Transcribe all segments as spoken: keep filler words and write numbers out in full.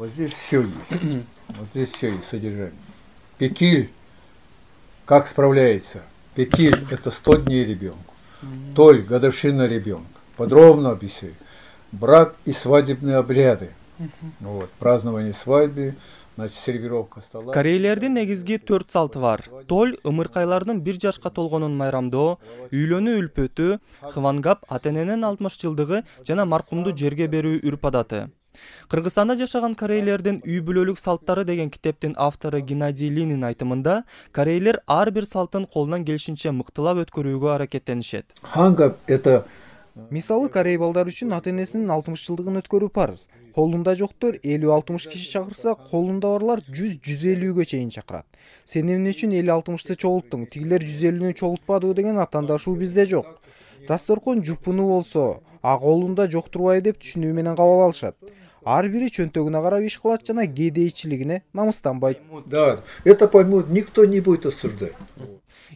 Вот здесь все есть. Вот здесь все есть содержание. Пекиль как справляется? Пекиль – это сто дней ребенку. Толь – годовщина ребенка. Подробно объясняю. Брак и свадебные обряды. Вот, празднование свадьбы, значит, сервировка стола. Корейлердин негизги төрт салты бар. Толь – ымыркайлардын бир жашка толгонун майрамдоо, үйлөнүү үлпөтү, хвангап – ата-эненин алтымыш жылдыгы жана маркумду жерге берүү үрп адаты. Кыргызстанда жашаган корейлердин үй бүлөлүк салттары деген китептин автору Геннадий Линин айтымында, корейлер ар бир салтын колунан келишинче мыктылап өткөрүүгө аракеттенишет. Хангап – это мисалы корей балдар үчүн ата-энесинин алтымыш жылдыгын өткөрүү парыз. Колунда жоктор элүү алтымыш киши чакырса, колунда барлар жүз жүз элүүгө чейин чакырат. Сен эмне үчүн элүү алтымышты чогулттуң, тигилер жүз элүүнү чогултпадыбы деген атаандашуу бизде жок. Дасторкон жупуну болсо, а колунда жок турбайбы деп түшүнүү менен кабыл алышат. Ар бири чөнтөгүнө карап иш кылат жана кедейчилигине намыстанбайт. Да, это поймут, никто не будет осуждать.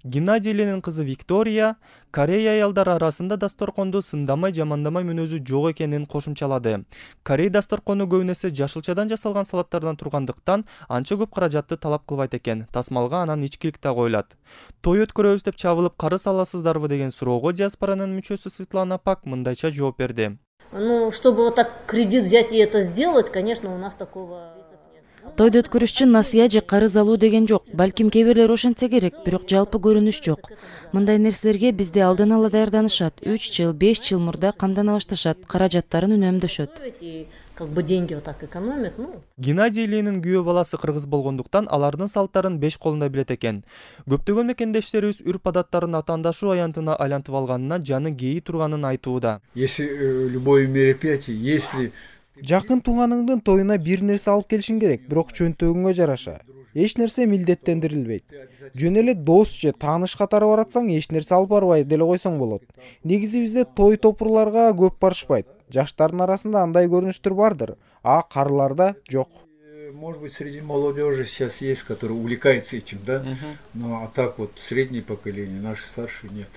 Геннадий Ленин кызы Виктория Корей аялдар арасында дасторконду сындамай жамандамай мүнөзү жок экенин кошумчалады. Корей дасторкону көбүнесе жашылчадан жасалган салаттардан тургандыктан анча көп каражатты талап кылбайт экен. Тасмалга анан ичкилик да коюлат. Той өткөрөбүз деп чабылып карыз аласыздарбы деген суроого диаспоранын мүчөсү Светлана Пак мындайча жооп берди. Ну, чтобы вот так кредит взять и это сделать, конечно, у нас такого... Тойду өткөрүш үчүн насыя же карыз алуу деген жок. Балким кээ бирлер ошентсе керек, бирок жалпы көрүнүш жок. Мындай нерселерге бизде алдан ала даярданышат. үч жыл, беш жыл мурда камдана башташат, каражаттарын үнөмдөшөт. Как бы деньги вот так экономят, ну. Геннадий Ленин күйөө баласы кыргыз болгондуктан алардын салттарын беш колунда билет экен. Көптөгөн мекендештерибиз үрп адаттарын атаандашуу аянтына айлантып алганына жаны кээи турганын айтууда. Если любое мероприятие, если Жакын тууганыңдын тоюна бир нерсе алып келишиң керек, бирок чөнтөгүңө жараша. Эч нерсе милдеттендирилбейт. Жөн эле дос же тааныш катары баратсаң, эч нерсе алып барбай деле койсоң болот. Негизи бизде той топурларга көп барышпайт. Жаштардын арасында андай көрүнүштөр бардыр, а карыларда жок. Может быть, среди молодежи сейчас есть, которые увлекаются этим, да? Но а так вот среднее поколение, наши старшие нет.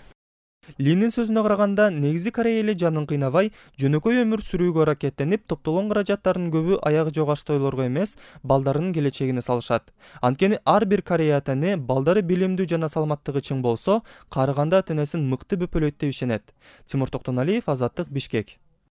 Линин сөзүнө караганда, негизи корей эли жанын кыйнабай, жөнөкөй өмүр сүрүүгө аракеттенип, топтолгон каражаттардын көбү аягы жок аш тойлорго эмес, балдарынын келечегине салышат. Анткени ар бир корей ата-эне балдары билимдүү жана саламаттыгы чың болсо, карыганда ата-энесин мыкты бөпөлөйт деп ишенет. Тимур Токтоналиев, Азаттык, Бишкек.